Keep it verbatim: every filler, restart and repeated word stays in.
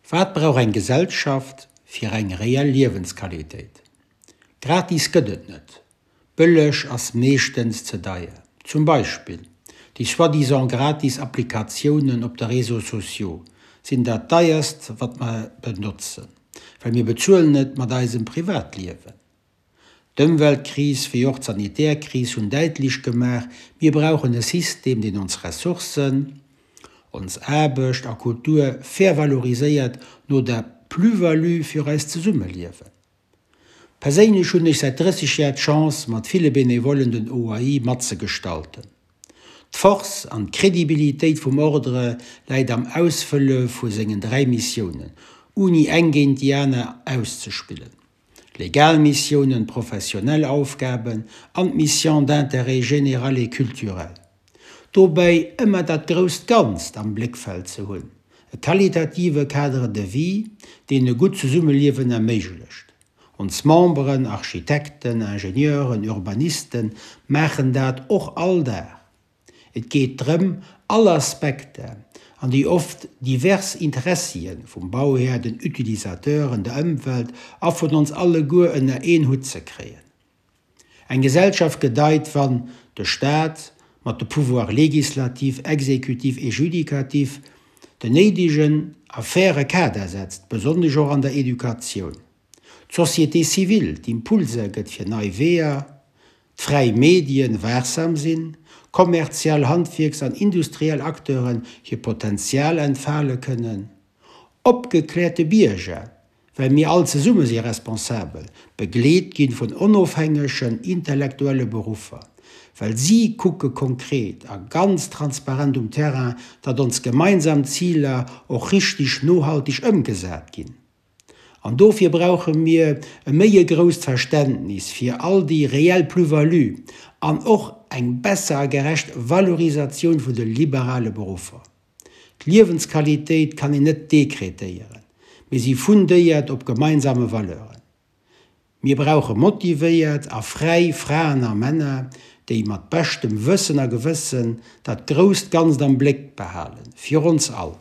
Wat brauch eng Gesellschaft fir eng reell Liewensqualitéit? Gratis gëtt et net. Bëlleg ass meeschtens ze deier. Zum Beispill déi soi-disant gratis Applikatiounen op de Réseaux sociaux sinn dat deierst wat mer benotzen, well mir bezuelen et mat eisem Privatliewen. D'Ëmweltkris wéi och d'Sanitärkris hunn däitlech gemaach, mir brauchen e System, deen ons Ressourcen, ons Aarbecht a Kultur fair valoriséiert no der Plus-value fir eist Zesummeliewen. Perséinlech hunn ech säit drësseg Jar d'Chance, mat ville Benevollen den O A I matzegestalten. D'Force an d'Kredibilitéit vum Ordre läit am Ausfëlle vu sengen dräi Missiounen, ouni eng géint déi aner auszespillen. Legal Missiounen, professionell Aufgaben an d'Mission d'intérêt général et culturel. Dobäi ëmmer dat grousst Ganzt am Bléckfeld ze hunn, e qualitative Cadre de vie, deen e gutt Zesummeliewen erméiglecht. Ons Memberen, Architekten, Ingenieuren, Urbanisten maachen dat och all Dag. Et geet drëm, all Aspekter an déi oft divers Interessien vum Bauhär, den Utilisateuren, der Ëmwelt a vun ons alleguer ënner een Hutt ze kréien. Eng Gesellschaft gedeit, wann de Staat mat de Pouvoir législatif, exécutif et judikatif den néidegen a faire Kader setzt, besonnesch och an der Educatioun. D'Société civile d'Impulser gëtt fir nei Weeër, d'fräi Medien waachsam sinn, kommerziell Handwierks- an industriell Acteuren hir Potenzial entfale kënnen, opgeklärte Bierger, well mir all zesumme si responsabel, begleet ginn vun onofhängegen intellektuelle Beruffer, well si kucke konkret a ganz transparent um Terrain, datt ons gemeinsam Ziler och richteg nohalteg ëmgesat ginn. An dofir brauche mir e méi e grousst Verständnis fir all déi reell Plus-value an och eng besser a gerecht Valorisatioun vun de liberale Beruffer. D'Liewensqualitéit kann een net dekretéieren, mee si fundéiert op gemeinsame Valeuren. Mir brauche motivéiert a fräi Fraen a Männer, déi mat beschtem Wëssen a Gewëssen dat grousst Ganzt am Bléck behalen, fir ons all.